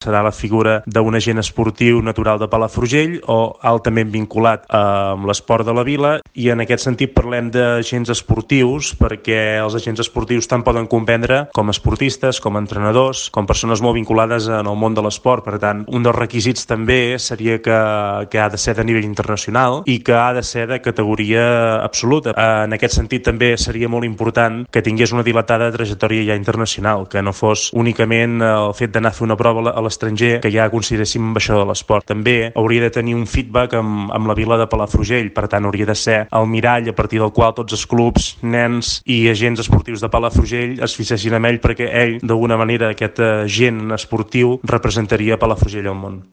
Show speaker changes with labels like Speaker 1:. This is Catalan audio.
Speaker 1: serà la figura d'un agent esportiu natural de Palafrugell o altament vinculat amb l'esport de la vila, i en aquest sentit parlem d'agents esportius perquè els agents esportius tant poden comprendre com esportistes, com entrenadors, com persones molt vinculades en el món de l'esport. Per tant, un dels requisits també seria que ha de ser de nivell internacional i que ha de ser de categoria absoluta. En aquest sentit també seria molt important que tingués una dilatada trajectòria ja internacional, que no fos únicament el fet d'anar a fer una prova a l'estranger que ja consideréssim ambaixador de l'esport. També hauria de tenir un feedback amb la vila de Palafrugell, per tant hauria de ser el mirall a partir del qual tots els clubs, nens i agents esportius de Palafrugell es fixessin en ell, perquè ell, d'alguna manera, aquest agent esportiu representaria Palafrugell al món.